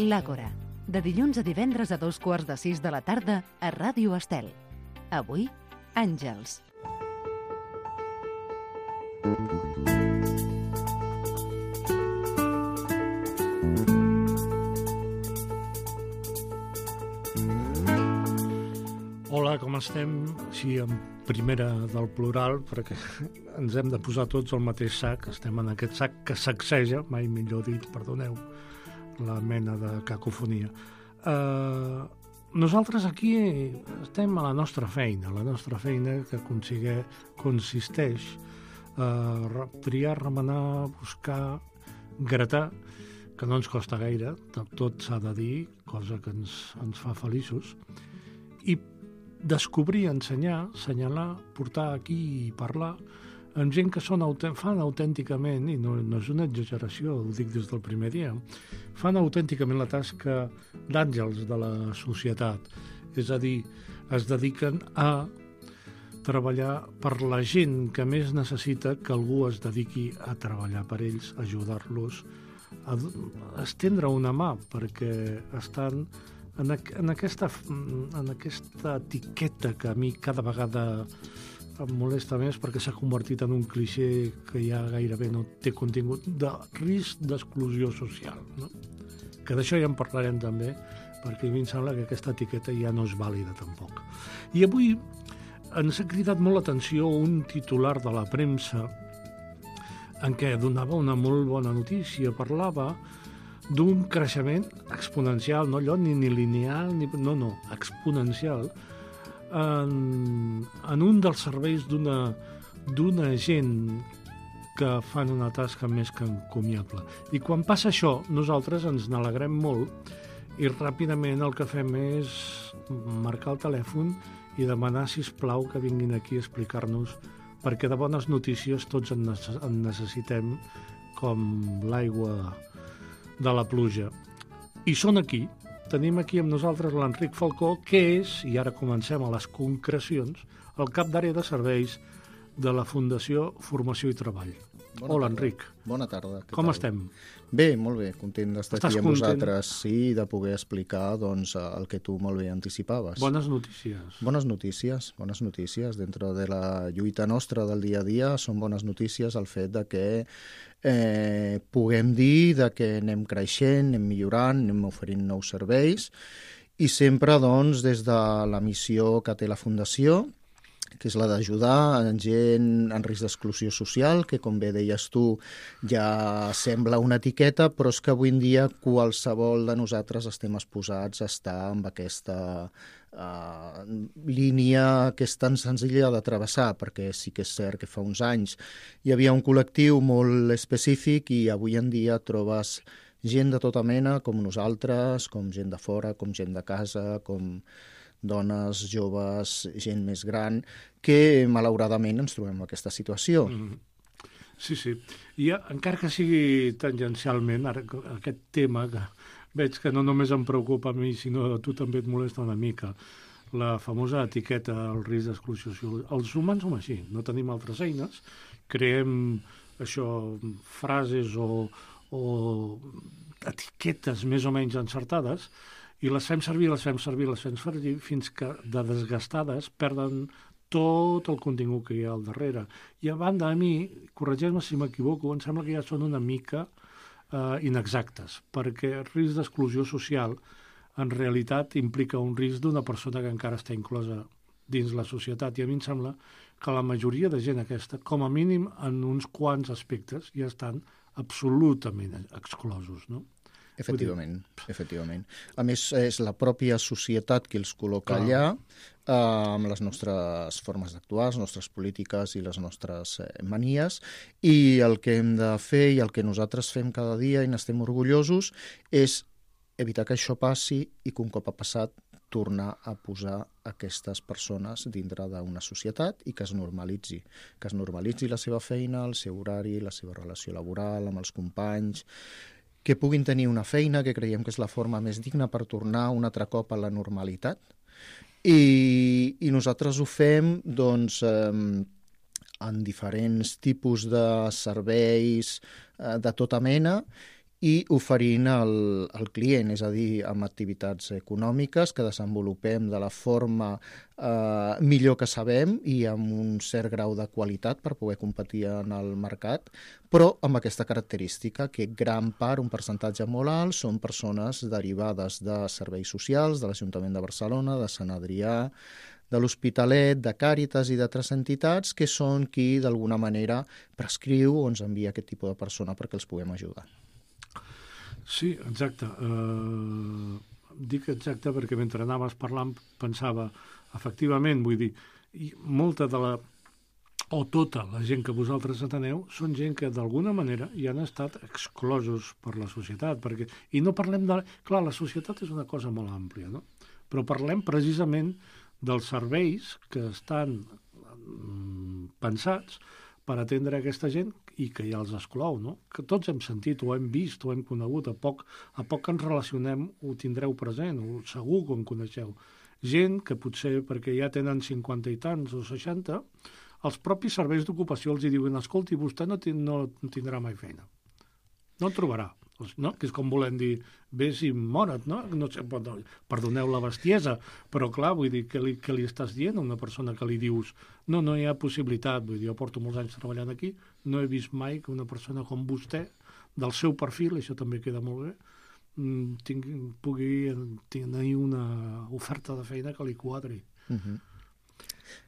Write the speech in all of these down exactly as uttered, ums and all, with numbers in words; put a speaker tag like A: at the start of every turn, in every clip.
A: L'Àgora, de dilluns a divendres a dos quarts de sis de la tarda a Ràdio Estel. Avui, Àngels.
B: Hola, com estem? Sí, en primera del plural, perquè ens hem de posar tots al mateix sac. Estem en aquest sac que sacseja, mai millor dit, perdoneu, la mena de cacofonia. Uh, nosaltres aquí estem a la nostra feina, la nostra feina que consigue, consisteix a triar, remenar, buscar, gratar, que no ens costa gaire, tot s'ha de dir, cosa que ens, ens fa feliços, i descobrir, ensenyar, assenyalar, portar aquí i parlar amb gent que són, fan autènticament, i no, no és una exageració, ho dic des del primer dia, fan autènticament la tasca d'àngels de la societat. És a dir, es dediquen a treballar per la gent que més necessita que algú es dediqui a treballar per ells, ajudar-los, a estendre una mà, perquè estan En, en, aquesta, en aquesta etiqueta que a mi cada vegada em molesta més perquè s'ha convertit en un clixé que ja gairebé no té contingut, de risc d'exclusió social, no? Que d'això ja en parlarem també, perquè a mi em sembla que aquesta etiqueta ja no és vàlida tampoc. I avui ens ha cridat molt l'atenció un titular de la premsa en què donava una molt bona notícia, parlava d'un creixement exponencial, no allò ni, ni lineal, ni, no, no, exponencial, en, en un dels serveis d'una d'una gent que fan una tasca més que encomiable. I quan passa això, nosaltres ens n'alegrem molt i ràpidament el que fem és marcar el telèfon i demanar, sisplau, que vinguin aquí a explicar-nos, perquè de bones notícies tots en necessitem, com l'aigua de la pluja. I són aquí. Tenim aquí amb nosaltres l'Enric Falcó, que és, i ara comencem a les concrecions, el cap d'àrea de serveis de la Fundació Formació i Treball.
C: Bona
B: Hola,
C: tarda.
B: Enric.
C: Bona tarda.
B: Com
C: tal?
B: estem?
C: Bé, molt bé. Content d'estar
B: Estàs
C: aquí amb
B: content?
C: vosaltres, sí, i de poder explicar doncs, el que tu molt bé anticipaves.
B: Bones notícies.
C: Bones notícies, bones notícies. Dentro de la lluita nostra del dia a dia són bones notícies el fet de que eh, puguem dir de que anem creixent, anem millorant, anem oferint nous serveis i sempre doncs, des de la missió que té la Fundació, que és la d'ajudar a gent en risc d'exclusió social, que com bé deies tu ja sembla una etiqueta, però és que avui en dia qualsevol de nosaltres estem exposats a estar amb aquesta uh, línia que és tan senzilla de travessar, perquè sí que és cert que fa uns anys hi havia un col·lectiu molt específic i avui en dia trobes gent de tota mena, com nosaltres, com gent de fora, com gent de casa, com dones, joves, gent més gran, que malauradament ens trobem en aquesta situació.
B: Mm. Sí, sí. I encara que sigui tangencialment, ara, aquest tema, que veig que no només em preocupa a mi, sinó a tu també et molesta una mica, la famosa etiqueta, el risc d'exclusió social. Els humans som així, no tenim altres eines, creem això, frases o, o etiquetes més o menys encertades, i les fem servir, les fem servir, les fem servir, fins que de desgastades perden tot el contingut que hi ha al darrere. I a banda, a mi, corregeix-me si m'equivoco, em sembla que ja són una mica eh, inexactes, perquè el risc d'exclusió social en realitat implica un risc d'una persona que encara està inclosa dins la societat, i a mi em sembla que la majoria de gent aquesta, com a mínim en uns quants aspectes, ja estan absolutament exclosos, no?
C: Efectivament, efectivament. A més, és la pròpia societat qui els col·loca
B: Clar.
C: allà eh, amb les nostres formes d'actuar, les nostres polítiques i les nostres eh, manies, i el que hem de fer i el que nosaltres fem cada dia i n'estem orgullosos és evitar que això passi i que un cop ha passat tornar a posar aquestes persones dintre d'una societat i que es normalitzi, que es normalitzi la seva feina, el seu horari, la seva relació laboral amb els companys, que puguin tenir una feina, que creiem que és la forma més digna per tornar un altre cop a la normalitat. I, i nosaltres ho fem doncs, eh, en diferents tipus de serveis eh, de tota mena i oferint al, al client, és a dir, amb activitats econòmiques que desenvolupem de la forma eh, millor que sabem i amb un cert grau de qualitat per poder competir en el mercat, però amb aquesta característica que gran part, un percentatge molt alt, són persones derivades de serveis socials, de l'Ajuntament de Barcelona, de Sant Adrià, de l'Hospitalet, de Càritas i d'altres entitats que són qui d'alguna manera prescriu o ens envia aquest tipus de persona perquè els puguem ajudar.
B: Sí, exacte. Uh, dic exacte perquè mentre anaves parlant pensava, efectivament, vull dir, i molta de la, o tota la gent que vosaltres ateneu són gent que d'alguna manera hi han estat exclosos per la societat, perquè, i no parlem de... Clar, la societat és una cosa molt àmplia, no? Però parlem precisament dels serveis que estan mm, pensats per atendre aquesta gent i que ja els exclou, no? Que tots hem sentit, o hem vist, o hem conegut, a poc, a poc que ens relacionem ho tindreu present, o segur que en coneixeu. Gent que potser, perquè ja tenen cinquanta i tants o seixanta, els propis serveis d'ocupació els hi diuen escolti, vostè no, tin, no tindrà mai feina. No en trobarà. No? Que és com volem dir, vés i mora't, no? No sé, perdoneu la bestiesa, però clar, vull dir, què li, què li estàs dient a una persona que li dius no, no hi ha possibilitat, vull dir, jo porto molts anys treballant aquí, no he vist mai que una persona com vostè, del seu perfil, això també queda molt bé, tingui, pugui tenir una oferta de feina que li quadri.
C: Uh-huh.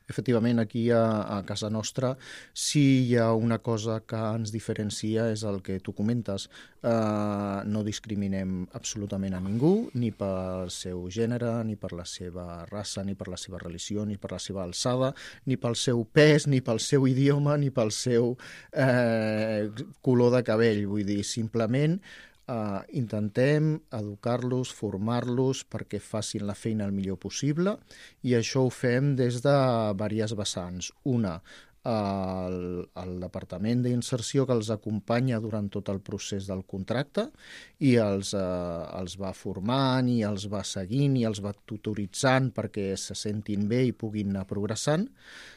C: Efectivament, aquí a, a casa nostra sí hi ha una cosa que ens diferencia, és el que tu comentes. Uh, no discriminem absolutament a ningú, ni pel seu gènere, ni per la seva raça, ni per la seva religió, ni per la seva alçada, ni pel seu pes, ni pel seu idioma, ni pel seu eh, color de cabell. Vull dir, simplement Uh, intentem educar-los, formar-los perquè facin la feina el millor possible i això ho fem des de diverses vessants. Una, el, el Departament d'Inserció que els acompanya durant tot el procés del contracte i els, uh, els va formant i els va seguint i els va tutoritzant perquè se sentin bé i puguin anar progressant.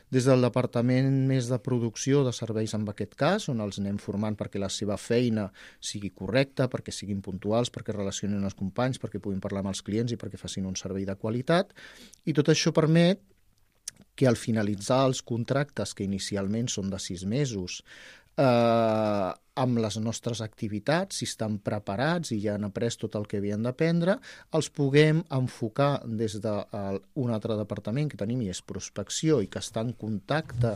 C: Des del departament més de producció de serveis en aquest cas, on els anem formant perquè la seva feina sigui correcta, perquè siguin puntuals, perquè relacionin els companys, perquè puguin parlar amb els clients i perquè facin un servei de qualitat. I tot això permet que al finalitzar els contractes, que inicialment són de sis mesos, eh, amb les nostres activitats, si estan preparats i ja han après tot el que havien d'aprendre, els puguem enfocar des d'un altre departament que tenim i és prospecció i que està en contacte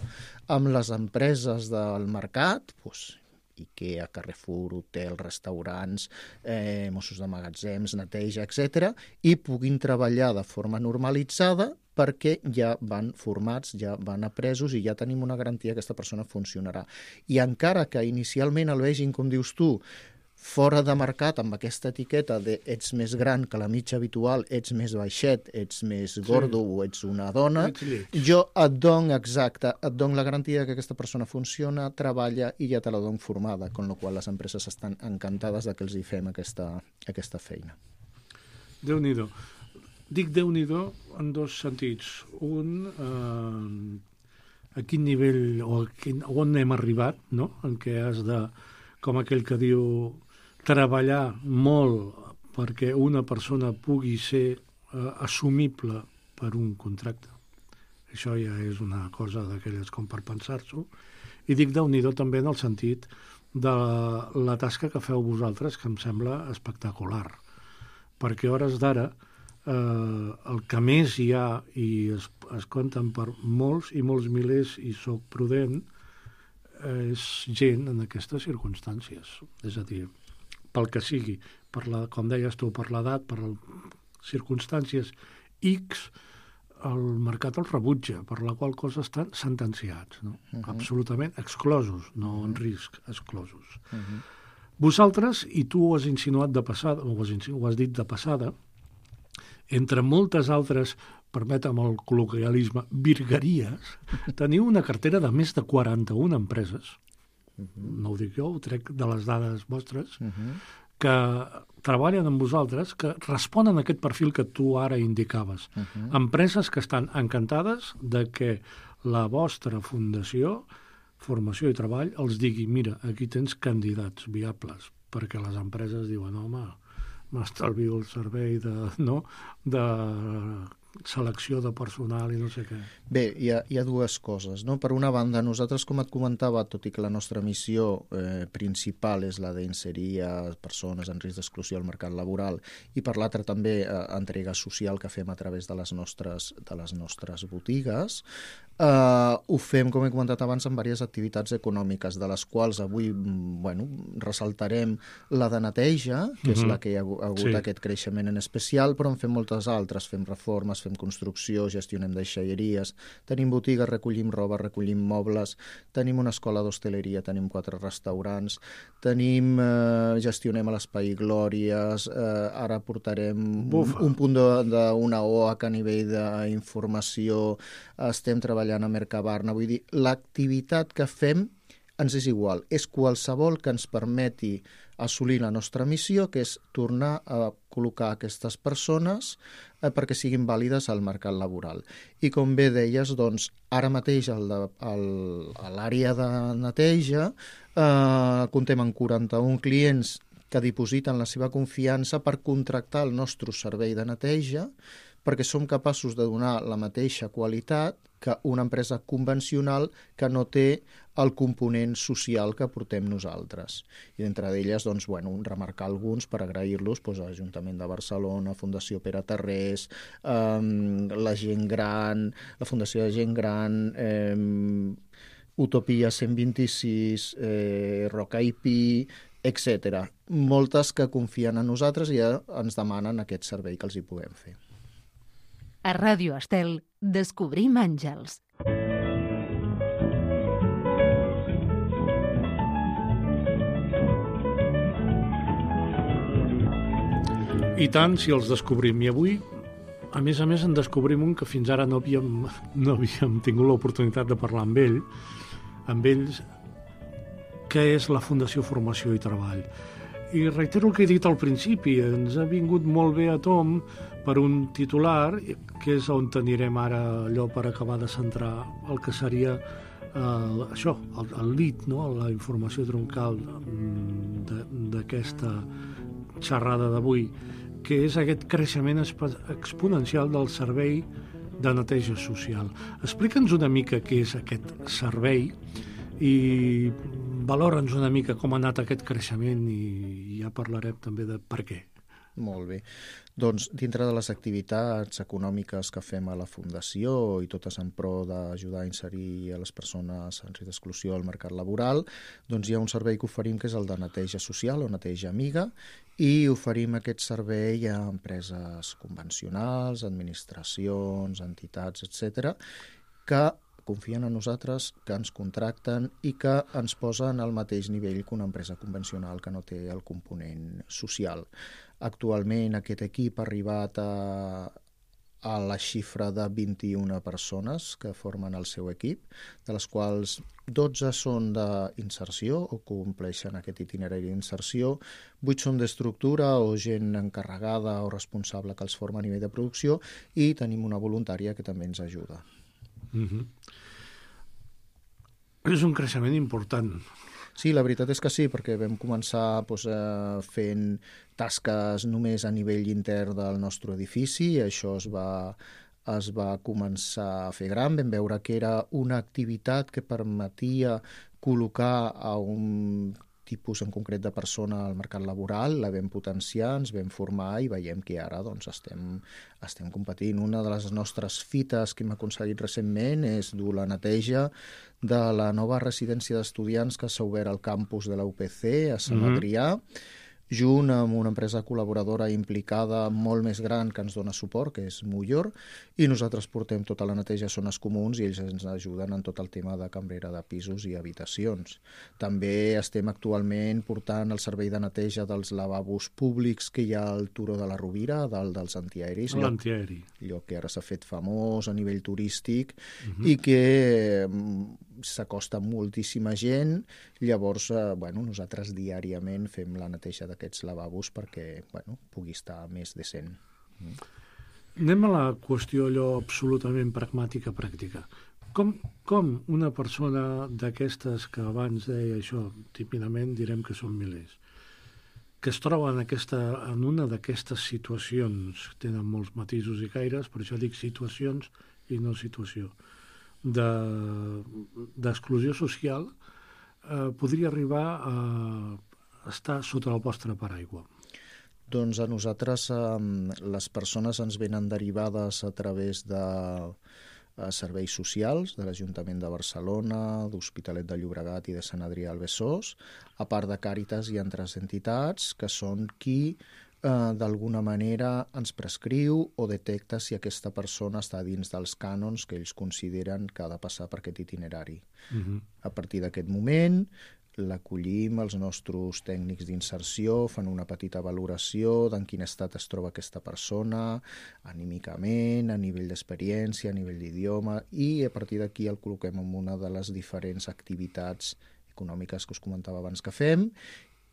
C: amb les empreses del mercat, doncs, IKEA, Carrefour, hotel, restaurants, eh, Mossos de magatzems, neteja, etcètera, i puguin treballar de forma normalitzada perquè ja van formats, ja van apresos i ja tenim una garantia que aquesta persona funcionarà. I encara que inicialment el vegin, com dius tu, fora de mercat amb aquesta etiqueta de ets més gran que la mitja habitual, ets més baixet, ets més gordo sí. o ets una dona, jo et dono exacte, et dono la garantia que aquesta persona funciona, treballa i ja te la dono formada, con la qual les empreses estan encantades de que els hi fem aquesta, aquesta feina.
B: Déu-n'hi-do. Dic Déu-n'hi-do en dos sentits. Un, eh, a quin nivell o a quin, on hem arribat, no? En què has de, com aquell que diu, treballar molt perquè una persona pugui ser eh, assumible per un contracte. Això ja és una cosa d'aquelles com per pensar-s'ho. I dic Déu-n'hi-do també en el sentit de la, la tasca que feu vosaltres, que em sembla espectacular. Perquè a hores d'ara eh, el que més hi ha i es, es compten per molts i molts milers, i soc prudent, és gent en aquestes circumstàncies. És a dir, pel que sigui, per la, com deies tu, per l'edat, per les circumstàncies X, el mercat els rebutja, per la qual cosa estan sentenciats, no? Uh-huh. Absolutament exclosos, no uh-huh. en risc, exclosos. Uh-huh. Vosaltres, i tu ho has insinuat de passada, o ho has, ho has dit de passada, entre moltes altres, permetem el col·loquialisme, virgueries, teniu una cartera de més de quaranta-una empreses, uh-huh. no ho dic jo, ho trec de les dades vostres, uh-huh. que treballen amb vosaltres, que responen a aquest perfil que tu ara indicaves. Uh-huh. Empreses que estan encantades de que la vostra fundació, Formació i Treball, els digui, mira, aquí tens candidats viables perquè les empreses diuen, home, m'estalvio el servei de, no? de selecció de personal i no sé què.
C: Bé, hi ha, hi ha dues coses, no? Per una banda, nosaltres, com et comentava, tot i que la nostra missió eh, principal és la d'inserir a persones en risc d'exclusió al mercat laboral, i per l'altra també eh, entrega social que fem a través de les nostres, de les nostres botigues, eh, ho fem, com he comentat abans, en diverses activitats econòmiques, de les quals avui bueno, ressaltarem la de neteja, que mm-hmm. és la que hi ha hagut sí. aquest creixement en especial, però en fem moltes altres, fem reformes, fem construcció, gestionem deixalleries, tenim botigues, recollim roba, recollim mobles, tenim una escola d'hostaleria, tenim quatre restaurants, tenim, eh, gestionem a l'Espai Glòries, eh, ara portarem un, un punt d'una O A C a nivell d'informació, estem treballant a Mercabarna, vull dir, l'activitat que fem ens és igual, és qualsevol que ens permeti assolir la nostra missió, que és tornar a col·locar aquestes persones eh, perquè siguin vàlides al mercat laboral. I com bé deies, doncs, ara mateix el de, el, a l'àrea de neteja eh, comptem amb quaranta-un clients que dipositen la seva confiança per contractar el nostre servei de neteja, perquè som capaços de donar la mateixa qualitat que una empresa convencional que no té el component social que portem nosaltres. I d'entre d'elles, doncs, bueno, remarcar alguns per agrair-los doncs, a l'Ajuntament de Barcelona, Fundació Pere Tarrés, eh, la Gent Gran, la Fundació de Gent Gran, eh, Utopia cent vint-i-sis, eh, Roca I P I, etcètera. Moltes que confien en nosaltres i ja ens demanen aquest servei que els hi puguem fer.
A: A Ràdio Estel, descobrim àngels.
B: I tant, si els descobrim. I avui, a més a més, en descobrim un que fins ara no havíem, no havíem tingut l'oportunitat de parlar amb ell, amb ells, que és la Fundació Formació i Treball. I reitero el que he dit al principi, ens ha vingut molt bé a tom per un titular, que és on anirem ara allò per acabar de centrar el que seria eh, això, el, el lead, no? La informació troncal d'aquesta xerrada d'avui, que és aquest creixement exponencial del servei de neteja social. Explica'ns una mica què és aquest servei i valora'ns una mica com ha anat aquest creixement i ja parlarem també de per què.
C: Molt bé. Doncs dintre de les activitats econòmiques que fem a la Fundació i totes en pro d'ajudar a inserir a les persones en risc d'exclusió al mercat laboral, doncs hi ha un servei que oferim que és el de neteja social o neteja amiga, i oferim aquest servei a empreses convencionals, administracions, entitats, etcètera, que confien en nosaltres, que ens contracten i que ens posen al mateix nivell que una empresa convencional que no té el component social. Actualment aquest equip ha arribat a, a la xifra de vint-i-una persones que formen el seu equip, de les quals dotze són d'inserció o compleixen aquest itinerari d'inserció, vuit són d'estructura o gent encarregada o responsable que els forma a nivell de producció, i tenim una voluntària que també ens ajuda.
B: Mm-hmm. És un creixement important.
C: Sí, la veritat és que sí, perquè vam començar doncs, eh, fent tasques només a nivell intern del nostre edifici, i això es va, es va començar a fer gran. Vam veure que era una activitat que permetia col·locar a un tipus en concret de persona al mercat laboral, la vam potenciar, ens vam formar i veiem que ara doncs, estem, estem competint. Una de les nostres fites que hem aconseguit recentment és dur la neteja de la nova residència d'estudiants que s'ha obert al campus de la U P C a Sant Adrià, mm-hmm. junt amb una empresa col·laboradora implicada molt més gran que ens dona suport, que és Mullor, i nosaltres portem tota la neteja a zones comuns i ells ens ajuden en tot el tema de cambrera de pisos i habitacions. També estem actualment portant el servei de neteja dels lavabos públics que hi ha al Turó de la Rovira, dalt dels antiaeris.
B: L'antiaeri.
C: Lloc que ara s'ha fet famós a nivell turístic, uh-huh. i que s'acosta moltíssima gent. Llavors, eh, bueno, nosaltres diàriament fem la neteja d'aquests lavabos perquè bueno, pugui estar més decent. Mm.
B: Anem a la qüestió allò absolutament pragmàtica, pràctica. Com, com una persona d'aquestes que abans deia això, típidament direm que són milers, que es troba en, aquesta, en una d'aquestes situacions, tenen molts matisos i caires, per això dic situacions i no situació, d'exclusió de, social, eh, podria arribar a estar sota el vostre paraigua?
C: Doncs a nosaltres eh, les persones ens venen derivades a través de eh, serveis socials de l'Ajuntament de Barcelona, d'Hospitalet de Llobregat i de Sant Adrià al Besòs, a part de Càritas i altres entitats que són qui eh, d'alguna manera ens prescriu o detecta si aquesta persona està dins dels cànons que ells consideren que ha de passar per aquest itinerari. Uh-huh. A partir d'aquest moment l'acollim, els nostres tècnics d'inserció fan una petita valoració d'en quin estat es troba aquesta persona, anímicament, a nivell d'experiència, a nivell d'idioma, i a partir d'aquí el col·loquem en una de les diferents activitats econòmiques que us comentava abans que fem,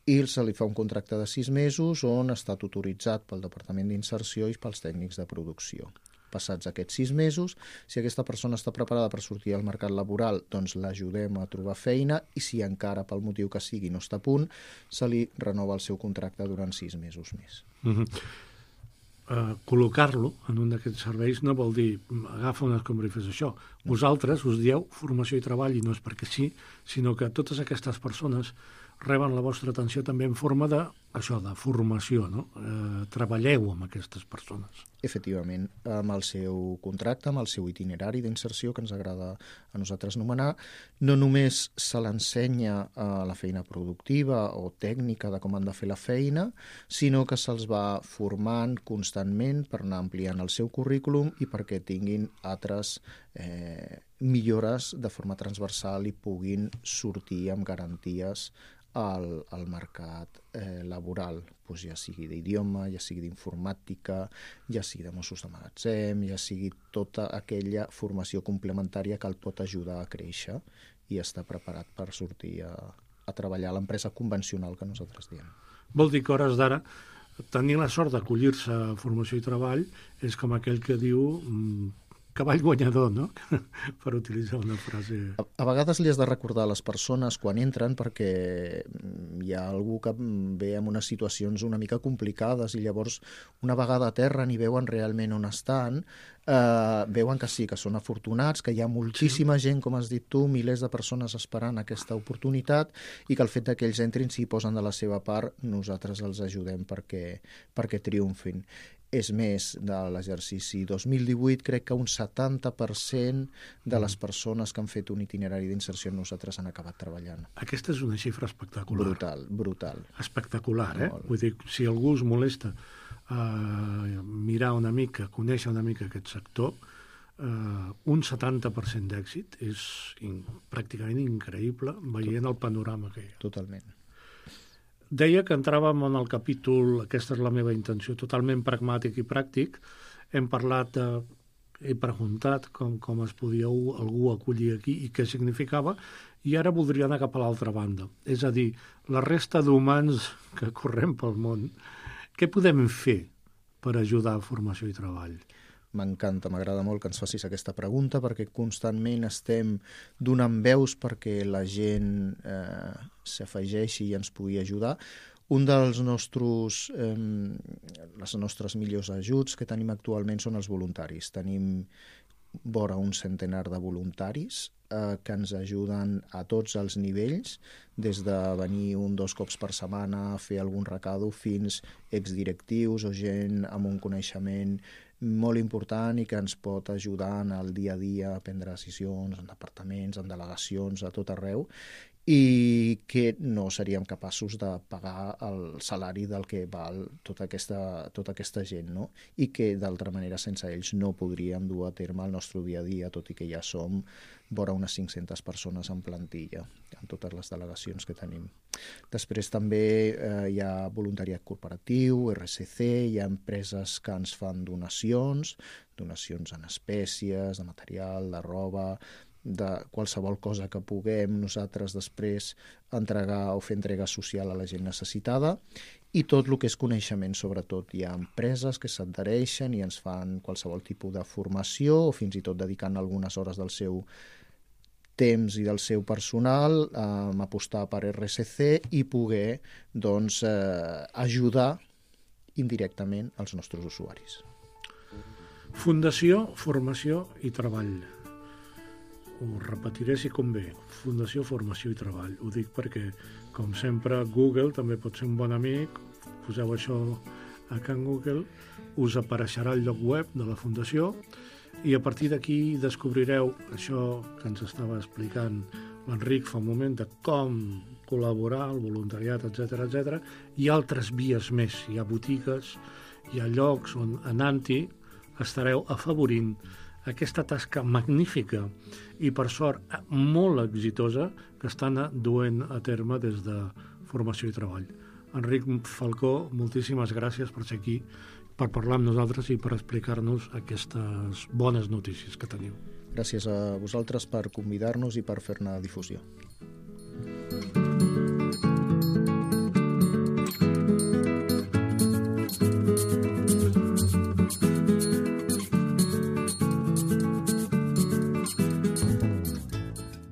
C: i se li fa un contracte de sis mesos on està tutoritzat pel Departament d'Inserció i pels tècnics de producció. Passats aquests sis mesos, si aquesta persona està preparada per sortir al mercat laboral, doncs l'ajudem a trobar feina, i si encara pel motiu que sigui no està a punt, se li renova el seu contracte durant sis mesos més.
B: Uh-huh. uh, Col·locar-lo en un d'aquests serveis no vol dir agafa una escombra i fes això. No. Vosaltres us dieu formació i treball, i no és perquè sí, sinó que totes aquestes persones reben la vostra atenció també en forma de, això, de formació, no? Eh, treballeu amb aquestes persones.
C: Efectivament, amb el seu contracte, amb el seu itinerari d'inserció, que ens agrada a nosaltres anomenar, no només se l'ensenya a la feina productiva o tècnica de com han de fer la feina, sinó que se'ls va formant constantment per anar ampliant el seu currículum i perquè tinguin altres eh, millores de forma transversal i puguin sortir amb garanties al, al mercat eh, laboral, pues ja sigui d'idioma, ja sigui d'informàtica, ja sigui de Mossos de magatzem, ja sigui tota aquella formació complementària que el pot ajudar a créixer i estar preparat per sortir a, a treballar a l'empresa convencional que nosaltres diem.
B: Vol dir que hores d'ara tenir la sort d'acollir-se a formació i treball és com aquell que diu mmm, cavall guanyador, no? Per utilitzar una frase...
C: A, a vegades li has de recordar a les persones quan entren perquè hi ha algú que ve en unes situacions una mica complicades i llavors una vegada a terra ni veuen realment on estan, eh, veuen que sí, que són afortunats, que hi ha moltíssima gent, com has dit tu, milers de persones esperant aquesta oportunitat i que el fet que ells entrin, si posen de la seva part, nosaltres els ajudem perquè, perquè triomfin. És més, de l'exercici dos mil divuit, crec que un setanta per cent de les persones que han fet un itinerari d'inserció amb nosaltres han acabat treballant.
B: Aquesta és una xifra espectacular.
C: Brutal, brutal.
B: Espectacular, eh? Molt. Vull dir, si algú us molesta uh, mirar una mica, conèixer una mica aquest sector, uh, un setanta per cent d'èxit és in, pràcticament increïble veient Tot. el panorama que hi ha.
C: Totalment.
B: Deia que entràvem en el capítol, aquesta és la meva intenció, totalment pragmàtic i pràctic. Hem parlat, eh, he preguntat com, com es podia algú acollir aquí i què significava, i ara voldria anar cap a l'altra banda. És a dir, la resta d'humans que correm pel món, què podem fer per ajudar a formació i treball?
C: M'encanta, m'agrada molt que ens facis aquesta pregunta perquè constantment estem donant veus perquè la gent eh, s'afegeixi i ens pugui ajudar. Un dels nostres, eh, les nostres millors ajuts que tenim actualment són els voluntaris. Tenim vora un centenar de voluntaris eh, que ens ajuden a tots els nivells, des de venir un dos cops per setmana a fer algun recado fins exdirectius o gent amb un coneixement molt important i que ens pot ajudar en el dia a dia a prendre decisions en departaments, en delegacions, a tot arreu, i que no seríem capaços de pagar el salari del que val tota aquesta, tota aquesta gent, no? I que d'altra manera sense ells no podríem dur a terme el nostre dia a dia, tot i que ja som vora unes cinc-centes persones en plantilla, en totes les delegacions que tenim. Després també eh, hi ha voluntariat corporatiu, R S C, hi ha empreses que ens fan donacions, donacions en espècies, de material, de roba, de qualsevol cosa que puguem nosaltres després entregar o fer entrega social a la gent necessitada, i tot el que és coneixement, sobretot. Hi ha empreses que s'adhereixen i ens fan qualsevol tipus de formació o fins i tot dedicant algunes hores del seu temps i del seu personal, eh, apostar per R S C i poder doncs, eh, ajudar indirectament els nostres usuaris.
B: Fundació, formació i treball. Ho repetiré si convé. Fundació, formació i treball. Ho dic perquè, com sempre, Google també pot ser un bon amic. Poseu això a Can Google, us apareixerà el lloc web de la Fundació i a partir d'aquí descobrireu això que ens estava explicant l'Enric fa un moment, de com col·laborar, el voluntariat, etcètera, etcètera. Hi ha altres vies més. Hi ha botigues, hi ha llocs on anant-hi estareu afavorint aquesta tasca magnífica i, per sort, molt exitosa que estan duent a terme des de Formació i Treball. Enric Falcó, moltíssimes gràcies per ser aquí, per parlar amb nosaltres i per explicar-nos aquestes bones notícies que teniu.
C: Gràcies a vosaltres per convidar-nos i per fer-ne difusió.